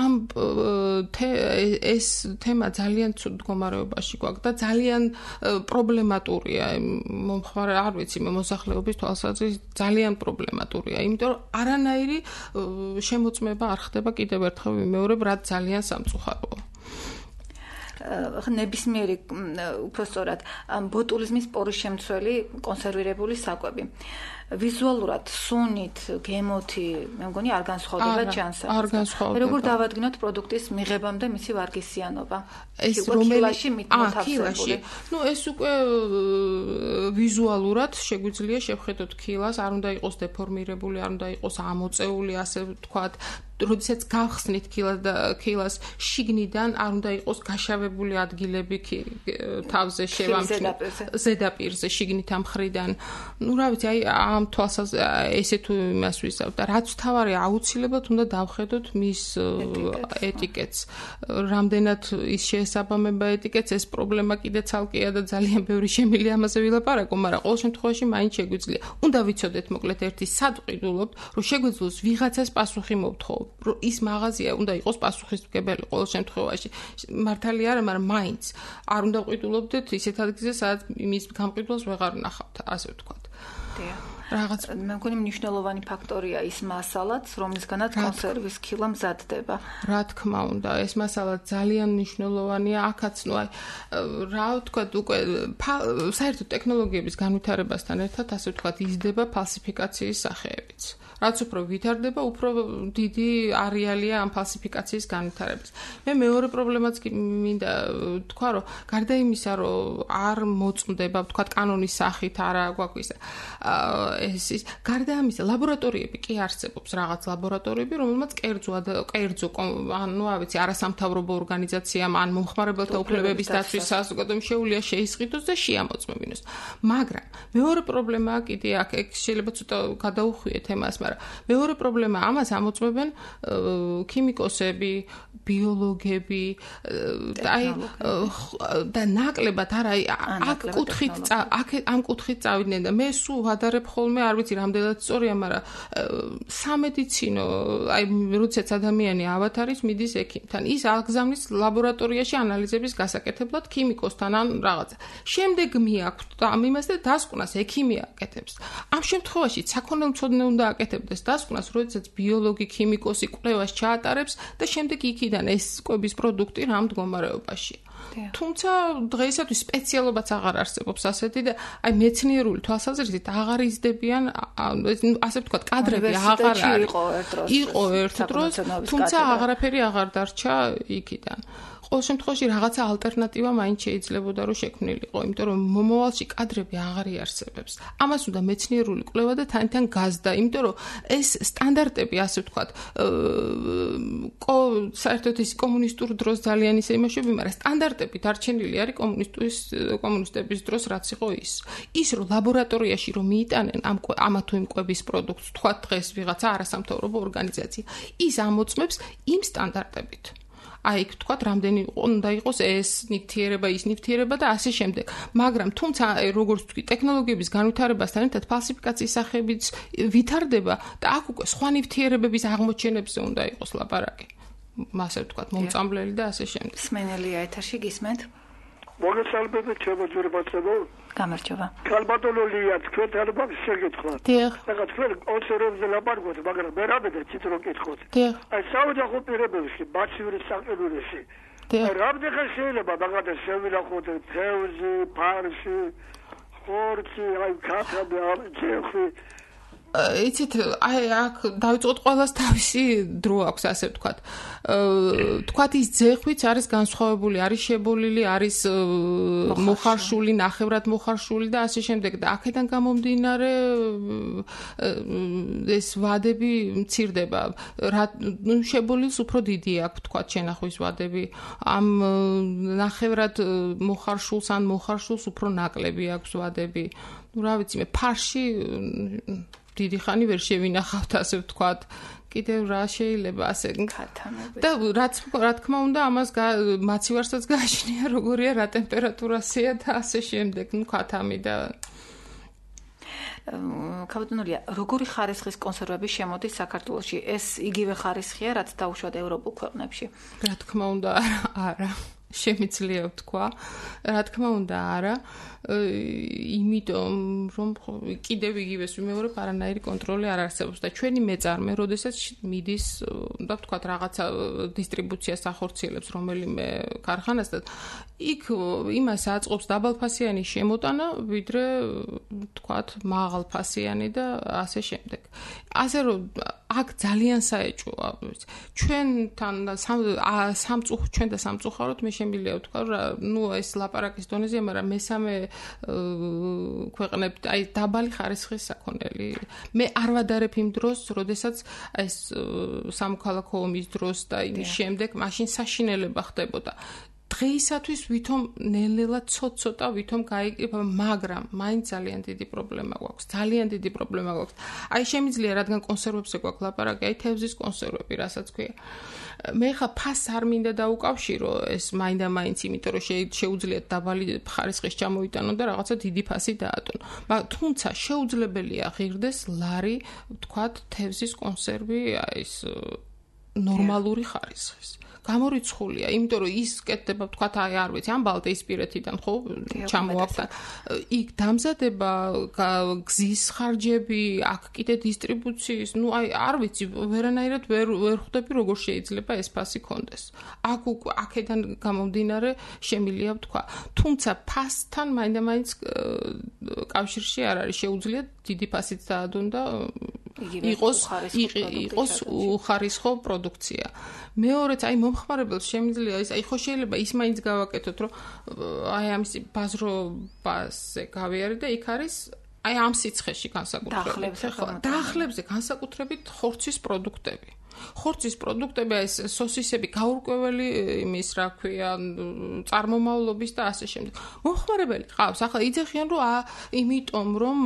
ამ ეს თემა ძალიან ცუდ მდგომარეობაში გვაქვს და ძალიან პრობლემატურია მომხმარე არ ვიცი მოსახლეობის თვალსაზრისით ძალიან პრობლემატურია იმიტომ რომ არანაირი შემოწმება არ ხდება კიდევ ერთხელ ვიმეორებ რაც ძალიან სამწუხაროა ნებისმიერი უпростоრად ბოტულიზმის პორის შემცველი კონსერვირებული საკვები ვიზუალურად სუნით, გემოთი, მე მგონი არ განსხვავდება ჩანსა. არ განსხვავდება. როგორ დავადგინოთ პროდუქტის მიღებამდე მისი ვარგისიანობა? ეს რომელაში მოთავსებული. ნუ ეს უკვე ვიზუალურად შეგვიძლია შევხედოთ ქილას, არ უნდა იყოს დეფორმირებული, არ უნდა იყოს ამოწეული, ასე ვთქვათ, როდესაც გავხსნით ქილას შიგნიდან არ უნდა იყოს გაშავებული ადგილები თავზე შევამჩნევთ ზედაპირზე შიგნით ამ მხრიდან. ნუ რა ვიცი, აი ამ თვალსას ესე თუ იმას ვისავთ და რაც თავარი აუცილებლად უნდა დავხედოთ მის ეტიკეტს. რამდენად ის შეესაბამება ეტიკეტს, ეს პრობლემა კიდე ცალკეა და ძალიან ბევრი შემილი ამაზე ვილაპარაკო, მაგრამ ყოველ შემთხვევაში მაინც შეგვიძლია. უნდა ვიცოდეთ მოკლედ ერთი სად ვყიდულობთ, რომ შეგვიძლოს ვიღაცას პასუხი მოვთხოვოთ. ის მაღაზია უნდა იყოს პასუხისმგებელი ყოველ შემთხვევაში. მართალი არა, მაგრამ მაინც არ უნდა ვყიდულობდეთ ისეთ ადგილზე, სადაც მის გამყიდველს ვეღარ ვნახავთ, ასე ვთქვათ. რაღაც მე მგონი მნიშვნელოვანი ფაქტორია ის მასალაც, რომლისგანაც კონსერვის ქილა მზადდება. რა თქმა უნდა, ეს მასალა ძალიან მნიშვნელოვანია. აქაც, ნუ აი, რა ვთქვათ, უკვე საერთოდ ტექნოლოგიების განვითარებასთან ერთად, ასე ვთქვათ, იზრდება ფალსიფიკაციის სახეებიც. რაც უფრო ვითარდება, უფრო დიდი არეალია ამ ფალსიფიკაციის განვითარების. მე მეორე პრობლემაც მინდა თქვა, რომ გარდა იმისა, რომ არ მოწმდება, ვთქვათ, კანონის სახით არა გვაქვს ის გარდა ამისა, ლაბორატორიები კი არსებობს, რაღაც ლაბორატორიები, რომელმაც კერძო, ანუ რა ვიცი, არასამთავრობო ორგანიზაციამ ან მომხმარებელთა უფლებების დაცვის საზოგადოებამ შეუძლია შეისყიდოს და შეამოწმებინოს. მაგრამ მეორე პრობლემაა კიდე აქ შეიძლება ცოტა გადაუხვიეთ თემას, მაგრამ მეორე პრობლემა ამას ამოწმებენ ქიმიკოსები, ბიოლოგები და ნაკლებად არა აქ ამ კუთხით წავიდნენ და მე სულ ვადარებ ხოლმე არ ვიცი რამდენად სწორია, მაგრამ სამედიცინო აი როდესაც ადამიანი ავათარის მიდის ექიმთან, ის აღგზავნის ლაბორატორიაში ანალიზების გასაკეთებლად ქიმიკოსთან ან რაღაცა. შემდეგ მიაქვთ ამ იმას და დასკვნას ექიმი აკეთებს. ამ შემთხვევაში საქონელმცოდნე უნდა აკეთებდეს დასკვნას, როდესაც ბიოლოგი, ქიმიკოსი კვლევას ჩაატარებს და შემდეგ იქიდან ეს კვების პროდუქტი რა მდგომარეობაში. თუმცა დღეისათვის სპეციალობაც აღარ არსებობს ასეთი და აი მეცნიერული თვალსაზრისით აღარ იზრდებიან, ასე ვთქვათ, კადრები აღარ არის. იყო ერთ დროს, თუმცა აღარაფერი აღარ დარჩა იქიდან. ყოველ შემთხვევაში რაღაცა ალტერნატივა მაინც შეიძლებოდა რომ შექმნილიყო, იმიტომ რომ მომავალში კადრები აღარ იარსებებს. ამას უნდა მეცნიერული კვლევა და თან გაზდა, იმიტომ რომ ეს სტანდარტები, ასე ვთქვათ, საერთოდ ის კომუნისტურ დროს ძალიან ისე იმაშები, მაგრამ სტანდარტები დარჩენილი არის კომუნისტების დროს, რაც იყო ის. ის რომ ლაბორატორიაში რომ მიიტანენ ამა თუ იმ კვების პროდუქტს, თქვათ დღეს ვიღაცა არასამთავრობო ორგანიზაცია, ის ამოწმებს იმ სტანდარტებით. აი, თქვათ, რამდენი უნდა იყოს ეს ნივთიერება, ის ნივთიერება და ასე შემდეგ. მაგრამ თუმცა, როგორც ვთქვი, ტექნოლოგიების განვითარებასთან ერთად ფალსიფიკაციის სახეებიც ვითარდება და აქ უკვე სხვა ნივთიერებების აღმოჩენებზე უნდა იყოს ლაპარაკი. ასე ვთქვათ, მომწამლელი და ასე შემდეგ. სმენელია ეთერში გისმენთ? მოგესალმებით, შემოძურებაცებო. გამარჯობა. ქალბატონულია, თქვენ ალბათ შეგეთხოთ. დიახ. რაღაც თქვენ კონსერვებზე ლაპარაკობთ, მაგრამ მე რამდენად ციტრო კითხოთ. დიახ. აი, საოჯახო პირობებში, მაცივრის საყიდულში. დიახ. რამდენად შეიძლება მაგათაც შევილახოთ თევზი, ფარში, ხორცი, აი, ქათამი, ჩეხი. იცით, აი აქ დავიწყოთ ყველას თავისი დრო აქვს, ასე ვთქვათ. თქვათ ის ძეხვიც არის განსხვავებული, არის შებოლილი, არის მოხარშული, ნახევრად მოხარშული და ასე შემდეგ და აქედან გამომდინარე ეს ვადები მცირდება. შებოლილს უფრო დიდი აქვს, ვთქვათ, შენახვის ვადები. ამ ნახევრად მოხარშულს ან მოხარშულს უფრო ნაკლები აქვს ვადები. Ну, რა ვიცი, მე ფარში დიდი ხანი ვერ შევინახავთ, ასე ვთქვათ. კიდევ რა შეიძლება ასე ქათამები. და რა თქმა უნდა, ამას მაცივარსაც გააჩნია, როგორია, რა ტემპერატურასია და ასე შემდეგ. Ну, ქათამი და ქაბატონია, როგორი ხარისხის კონსერვები შემოდის საქართველოში? ეს იგივე ხარისხია, რაც დაუშვათ ევროპულ ქვეყნებში? რა თქმა უნდა, არა. შემიძლია ვთქვა. რა თქმა უნდა, არა. იმიტომ რომ კიდევ იგივეს ვიმეორებ, არანაირი კონტროლი არ არსებობს და ჩვენი მეწარმე, როდესაც მიდის, და ვთქვათ, რაღაცა დისტრიბუციას ახორციელებს რომელიმე ქარხანას და იქ იმას აწყობს დაბალფასიანი შემოტანა, ვიდრე ვთქვათ, მაღალფასიანი და ასე შემდეგ. ასე რომ აქ ძალიან საეჭვოა. ჩვენთან ჩვენ და სამწუხაროდ მე შემიძლია ვთქვა, ნუ ეს ლაპარაკის დონეზე, მაგრამ მესამე ქვეყნებს, აი დაბალი ხარისხის საქონელი. მე არ ვადარებ იმ დროს, როდესაც ეს სამოქალაქო ომის დროს და იმის შემდეგ მაშინ საშინელება ხდებოდა. დღეისათვის ვითომ ნელ-ნელა ცოტ-ცოტა ვითომ გაიგება, მაგრამ მაინც ძალიან დიდი პრობლემა გვაქვს. ძალიან დიდი პრობლემა გვაქვს. აი შემიძლია, რადგან კონსერვებზე გვაქვს ლაპარაკი, აი თევზის კონსერვები, რასაც ქვია. მე ხა ფასს არ მინდა დაუკავშირო ეს მაინდა-მაინც, იმიტომ რომ შეუძლიათ დაბალი ხარისხის ჩამოიტანონ და რაღაცა დიდი ფასი დაატონ. თუმცა შეუძლებელია ღირდეს ლარი, ვთქვათ, თევზის კონსერვი, აი ეს ნორმალური ხარისხის. გამორიცხულია, იმიტომ რომ ის კეთდება, ვთქვათ, აი არ ვიცი, ამ ბალტიისპირეთიდან ხო ჩამოაქვს. იქ დამზადება, გზის ხარჯები, აქ კიდე დისტრიბუციის, ну აი არ ვიცი, ვერანაირად ვერ ხვდები როგორ შეიძლება ეს ფასი კონდეს. აქედან გამომდინარე შემილია ვთქვა. თუმცა ფასთან მაინდა-მაინც კავშირში არ არის, შეუძლიათ დიდი ფასით დაადონ და იყოს უხარისხო პროდუქცია. მეორეც აი მომხმარებელს შემიძლია ის აი ხო შეიძლება ის მაინც გავაკეთოთ რომ აი ამის ბაზრობაზე გავიარე და იქ არის აი ამ სიცხეში განსაკუთრებით დაახლებზე განსაკუთრებით ხორცის პროდუქტები. ხორცის პროდუქტები ეს სოსისები გაურკვეველი იმის რა ქვია წარმომავლობის და ასე შემდეგ. მომხმარებელი ყავს. ახლა იძახიან რომ იმიტომ რომ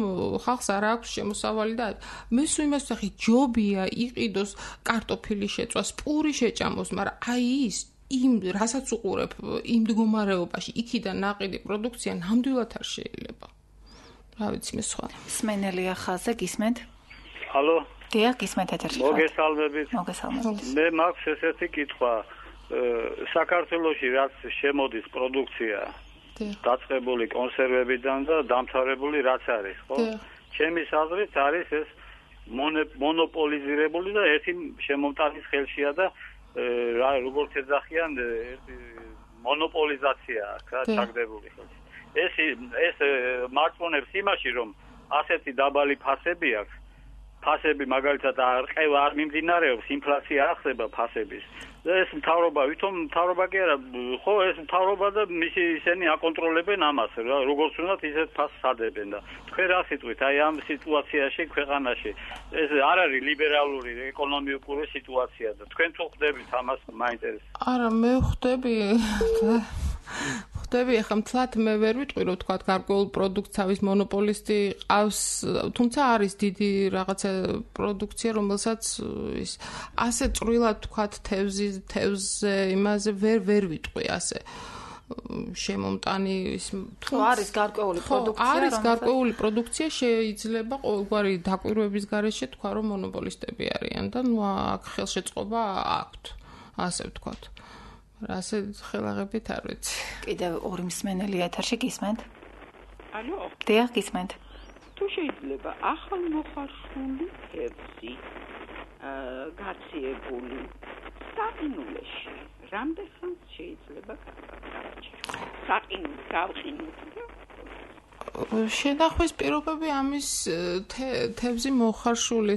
ხალხს არ აქვს შემოსავალი და მე სულ იმას ვსახი ჯობია იყიდოს კარტოფილი შეწვას, პური შეჭამოს, მაგრამ აი ის იმ რასაც უყურებ იმ მდგომარეობაში იქიდან ნაყიდი პროდუქცია ნამდვილად არ შეიძლება. რა ვიცი მე სხვა. სმენელია ხაზე გისმენთ? ჰალო დიახ, გისმენთ ეთერში. მოგესალმებით. მე მაქვს ესეთი კითხვა. საქართველოში რაც შემოდის პროდუქცია დაწყებული კონსერვებიდან და დამთავრებული რაც არის, ხო? ჩემი აზრით არის ეს მონოპოლიზირებული და ერთი შემომტანის ხელშია და როგორც ეძახიან მონოპოლიზაცია აქ ჩაგდებული ხელში. ეს მარტყუნებს იმაში რომ ასეთი დაბალი ფასები აქვს. ფასები მაგალითად არ მიმდინარეობს, ინფლაცია არ ხდება ფასების. ეს მთავრობა, ვითომ მთავრობა კი არა, ხო ეს მთავრობა და მისი ისინი აკონტროლებენ ამას, როგორც უნდათ ისეთ ფასს ადებენ და თქვენ რა სიტყვით, აი ამ სიტუაციაში ქვეყანაში ეს არ არის ლიბერალური ეკონომიკური სიტუაცია და თქვენ თუ ხვდებით ამას მაინტერესებს. არა, მე ხვდები ახლა მთლად მე ვერ ვიტყვი რომ თქვა გარკვეულ პროდუქტს თავის მონოპოლისტი ყავს, თუმცა არის დიდი რაღაცა პროდუქცია, რომელსაც ის ასე წვრილად თქვა თევზზე იმაზე ვერ ვიტყვი ასე შემომტანი ის თუ არის გარკვეული პროდუქცია, არის გარკვეული პროდუქცია შეიძლება ყოველგვარი დაკვირვების გარეშე თქვა რომ მონოპოლისტები არიან და ნუ აქ ხელშეწყობა აქვთ, ასე ვთქვათ. ასე ხელაღებით არ ვიცი. კიდევ ორი მსმენელი ეთერში გისმენთ? ალო? დიახ, გისმენთ. თუ შეიძლება ახალმოხარშული თევზი გაციებული საყინულეში რამდენხანს შეიძლება გავაჭიროთ? საყინულს გავყინოთ და შენახვის პირობები ამის თევზი მოხარშული.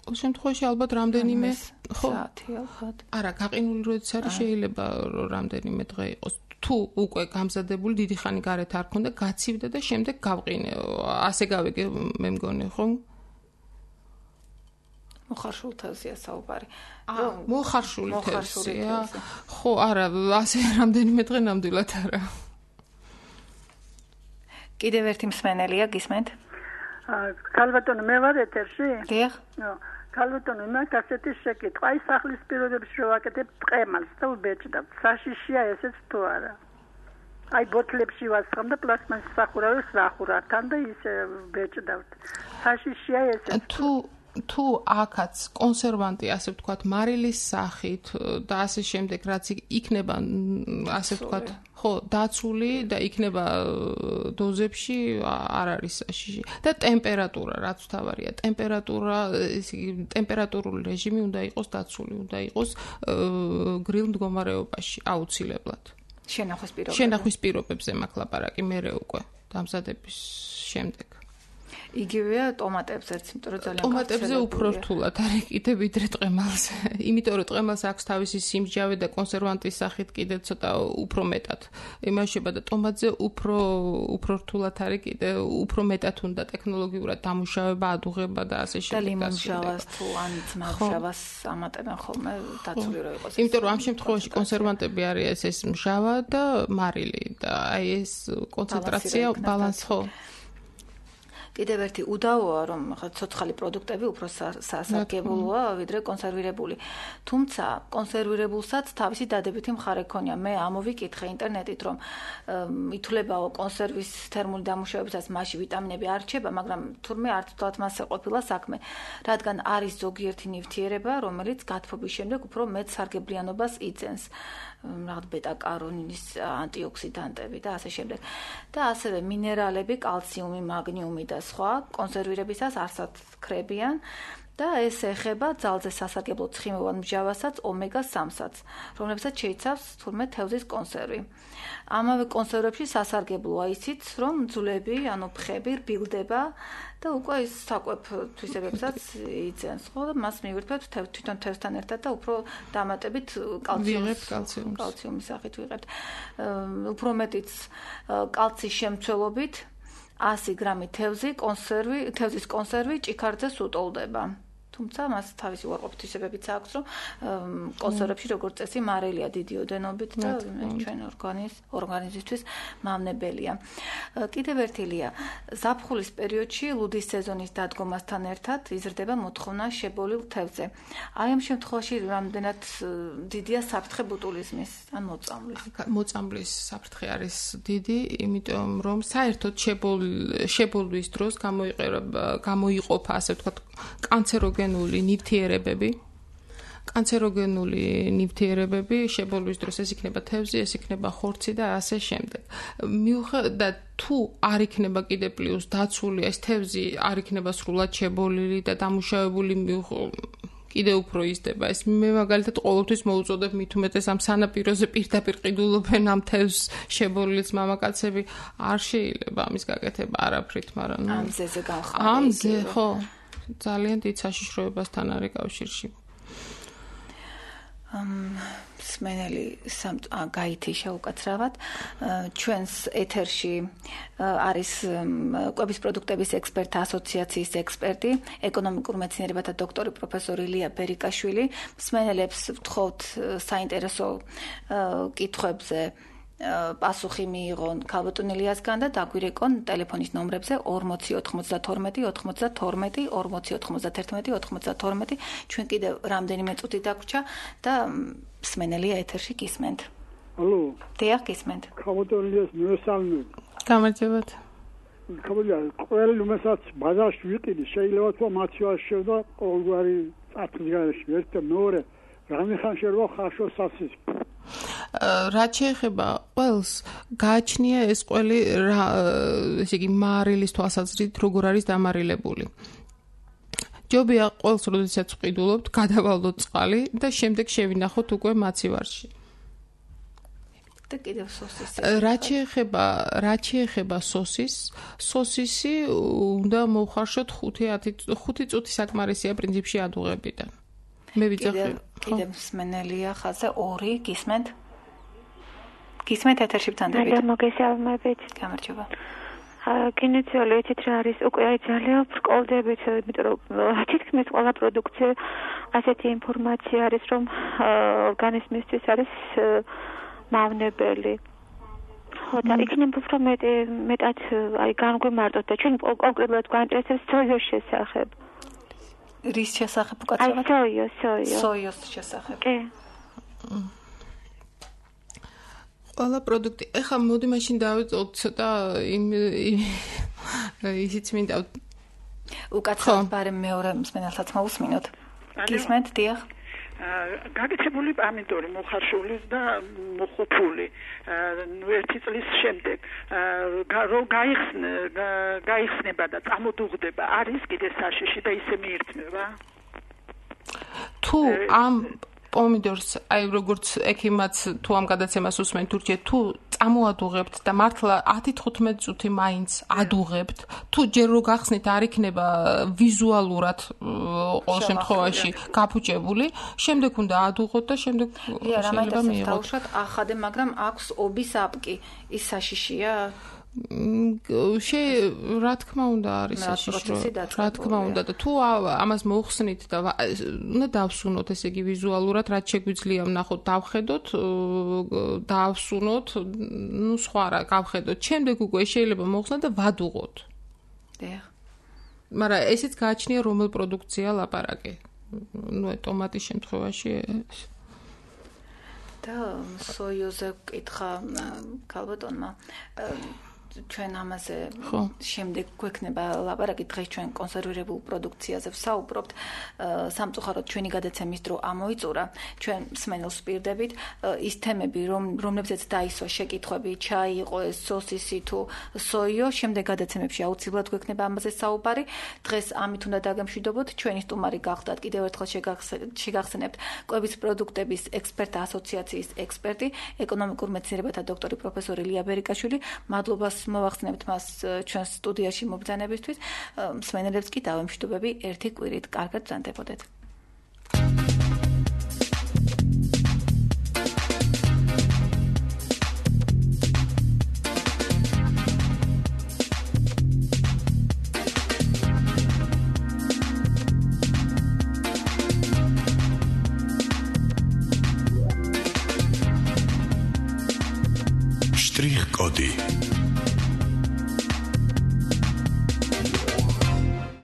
შემთხვევაში ალბათ რამდენიმე საათი ალბათ. არა, გაყინული როდესაც არის შეიძლება რამდენიმე დღე იყოს. თუ უკვე გამზადებული დიდი ხანი გარეთ არ ქონდა, გაცივდა და შემდეგ გავყინე. ასე გავიგე მე მგონი, ხო? მოხარშულ თევზია საუბარი. მოხარშული თევზია. ხო, არა, ასე რამდენიმე დღე ნამდვილად არა. კიდევ ერთი მსმენელია, გისმენთ? ქალბატონო, მე ვარ ეთერში? დიახ. ქალბატონო, მაგ ასეთი შეკითხვა, აი სახლის პირობებში რო ვაკეთებ ტყემალს და ვბეჭდავ. საშიშია ესეც თუ არა? აი ბოთლებში ვასხამ და პლასმასის სახურავებს ვახურავთან და ისე ვბეჭდავთ. საშიშია ესეც? თუ აქაც კონსერვანტი, ასე ვთქვათ, მარილის სახით და ასე შემდეგ, რაც იქნება, ასე ვთქვათ, ხო, დაცული და იქნება დოზებში, არ არის საშიში. და ტემპერატურა, რაც თავარია, ტემპერატურული რეჟიმი უნდა იყოს დაცული, უნდა იყოს გრილ მდგომარეობაში, აუცილებლად. შენახვის პირობებზე მაქვს ლაპარაკი, მერე უკვე დამზადების შემდეგ. იგივეა ტომატებზეც, იმიტომ რომ ძალიან ტომატებზე უფრო რთულად არის კიდე ვიდრე ტყემალზე. იმიტომ რომ ტყემალს აქვს თავისი სიმჟავე და კონსერვანტის სახით კიდე ცოტა უფრო მეტად იმაშება და ტომატზე უფრო რთულად არის კიდე უფრო მეტად უნდა ტექნოლოგიურად დამუშავება, ადუღება და ასე შემდეგ. და ლიმონჟავას თუ ან ძმაჟავას ამატებენ ხოლმე დაცული რო იყოს. იმიტომ რომ ამ შემთხვევაში კონსერვანტები არის ეს მჟავა და მარილი და აი ეს კონცენტრაცია ბალანს ხო. კიდევ ერთი უდავოა, რომ ცოცხალი პროდუქტები უფრო სასარგებლოა, ვიდრე კონსერვირებული. თუმცა კონსერვირებულსაც თავისი დადებითი მხარე ქონია. მე ამოვიკითხე ინტერნეტით, რომ ითვლებაო კონსერვის თერმული დამუშავებისას მასში ვიტამინები არ რჩება, მაგრამ თურმე არც ვთქვათ მასზე ყოფილა საქმე, რადგან არის ზოგიერთი ნივთიერება, რომელიც გათბობის შემდეგ უფრო მეტ სარგებლიანობას იძენს. რაღაც ბეტა-კაროტინის ანტიოქსიდანტები და ასე შემდეგ. და ასევე მინერალები, კალციუმი, მაგნიუმი და სხვა კონსერვირებისას არსად ქრებიან და ეს ეხება ძალზე სასარგებლო ცხიმოვან მჟავასაც, ომეგა-3-საც, რომლებსაც შეიცავს თურმე თევზის კონსერვი. ამავე კონსერვებში სასარგებლოა ისიც, რომ ძვლები, ანუ ფხები რბილდება და უკვე ის საკვებ თვისებებსაც იძენს, ხო და მას მივირთვებთ თვითონ თევზთან ერთად და უფრო დამატებით კალციუმის სახით ვიღებთ. უფრო მეტიც კალციის შემცველობით 100 გრამი თევზის კონსერვი ჭიქარdzეს უტოლდება. თუმცა მას თავისი უარყოფითისებებიც აქვს, რომ კონსერვებში როგორც წესი მარილია დიდი ოდენობით და ჩვენ ორგანიზმისთვის მავნებელია. კიდევ ერთილია, ზაფხულის პერიოდში ლუდის სეზონის დადგომასთან ერთად იზრდება მოთხოვნა შებოლილ თევზზე. აი ამ შემთხვევაში რამდენად დიდია საფრთხე ბუტულიზმის ან მოწამვლის საფრთხე არის დიდი, იმიტომ რომ საერთოდ შებოლვის დროს გამოიყოფა, ასე ვთქვათ, კანცეროგენული ნივთიერებები შებოლვის დროს ეს იქნება თევზი, ეს იქნება ხორცი და ასე შემდეგ. და თუ არ იქნება კიდე პლუს დაცული ეს თევზი არ იქნება სრულად შებოლილი და დამუშავებული კიდე უფრო იზრდება. ეს მე მაგალითად ყოველთვის მოუწოდებ მით უმეტეს ამ სანაპიროზე პირდაპირ ყიდულობენ ამ თევზს შებოლილს მამაკაცები არ შეიძლება ამის გაკეთება არაფრით, მაგრამ ამ ზეზე გავხარ. ამ ზე ხო ძალიან დიდ საშიშროებასთან არის კავშირში. მსმენელი გაითიშა უკაცრავად. ჩვენს ეთერში არის კვების პროდუქტების ექსპერტთა ასოციაციის ექსპერტი, ეკონომიკურ მეცნიერებათა დოქტორი პროფესორი ილია ბერიკაშვილი. მსმენელებს ვთხოვთ საინტერესო კითხვებზე პასუხი მიიღონ ქალბატონ ილიასგან და დაგვირეკონ ტელეფონის ნომრებზე 40 92 92 40 91 92. ჩვენ კიდევ რამდენიმე წუთი დაგვრჩა და მსმენელია ეთერში გისმენთ. ალო. დიახ, გისმენთ. ქალბატონ ილიას მესალმები. გამარჯობათ. ქალბატონ, ყველი უმესაც ბაზარში ვიყიდი, შეიძლება თუ მათივას შევდა ყოველგვარი წათლიგანში, ერთ მეორე რამე ხან შეიძლება ხაშო სასის. რაც შეეხება ყველს, გააჩნია ეს ყველი, ესე იგი, მარილის თვალსაზრისით როგორ არის დამარილებული. ჯობია ყველს, როდესაც ვყიდულობთ, გადავალოთ წყალი და შემდეგ შევინახოთ უკვე მაცივარში. და კიდევ სოსისი. რაც შეეხება სოსისი უნდა მოვხარშოთ 5 წუთი საკმარისია პრინციპში ადუღებიდან. მე ვიძახი. კიდევ მსმენელია ხაზზე 2 გისმენთ? გისმენთ ეთერში ვთანდებით. მე მოგესალმებით. გამარჯობა. კინეციოლი ეთით რა არის უკვე ძალიან ბრკოლდებით, იმიტომ რომ თითქმის ყველა პროდუქცია ასეთი ინფორმაცია არის, რომ ორგანიზმისთვის არის მავნებელი. ხო და იქნება უფრო მეტად აი განგვიმარტოთ და ჩვენ კონკრეტულად გვაინტერესებს სოიოს შესახებ. რის შესახებ უკაცრავად? აი სოიოს შესახებ. კი. ყველა პროდუქტი. ეხლა მოდი მაშინ დავიწყოთ ცოტა ისიც მინდა უკაცრავად ბარემ მეორე მსმენელსაც მოусმინოთ. გისმენთ, დიახ. გაგეთებული პამიდორი მოხარშული და მოხუპული. ერთი წლის შემდეგ რომ გაიხსნება და წამოდუღდება არის კიდე საშიში და ისე მიირთმევა. თუ ამ პომიდორს, აი როგორც ექიმაც თუ ამ გადაცემას უსმენთ თურქეთში, თუ წამოადუღებთ და მართლა 10-15 წუთი მაინც ადუღებთ, თუ ჯერ რო გახსნით არ იქნება ვიზუალურად ყოველ შემთხვევაში გაფუჭებული, შემდეგ უნდა ადუღოთ და შემდეგ შეიძლება მიიღოთ. დაუშვათ ახადე, მაგრამ აქვს ობის აპკი, ის საშიშია? რა თქმა უნდა არის საშიშრო. რა თქმა უნდა და თუ ამას მოხსნით და უნდა დავსუნოთ, ესე იგი ვიზუალურად რაც შეგვიძლია ვნახოთ, დავხედოთ, დავსუნოთ, ნუ სხვა რა გავხედოთ. შემდეგ უკვე შეიძლება მოხსნათ და ვადუღოთ. დიახ. მაგრამ ესეც გააჩნია რომელ პროდუქცია ლაპარაკი. ნუ ტომატის შემთხვევაში და სოიოზე კითხა ქალბატონმა ჩვენ ამაზე შემდეგ გვექნება ლაპარაკი, დღეს ჩვენ კონსერვირებულ პროდუქციაზე ვსაუბრობთ. სამწუხაროდ ჩვენი გადაცემის დრო ამოიწურა. ჩვენ მსმენელს ვპირდებით ის თემები, რომლებზეც დაისვა შეკითხვები, ჩაი იყო ეს სოსისი თუ სოიო, შემდეგ გადაცემებში აუცილებლად გვექნება ამაზე საუბარი. დღეს ამით უნდა დაგემშვიდობოთ. ჩვენი სტუმარი გახდათ კიდევ ერთხელ შეგახსენებთ კვების პროდუქტების ექსპერტთა ასოციაციის ექსპერტი, ეკონომიკურ მეცნიერებათა დოქტორი პროფესორი ლია ბერიკაშვილი. მადლობას მოვახსენებთ მას ჩვენს სტუდიაში მობრძანებისთვის. მსმენელებს კი დავემშვიდობები ერთი კვირით. კარგად ბრძანდებოდეთ. Штрих-коди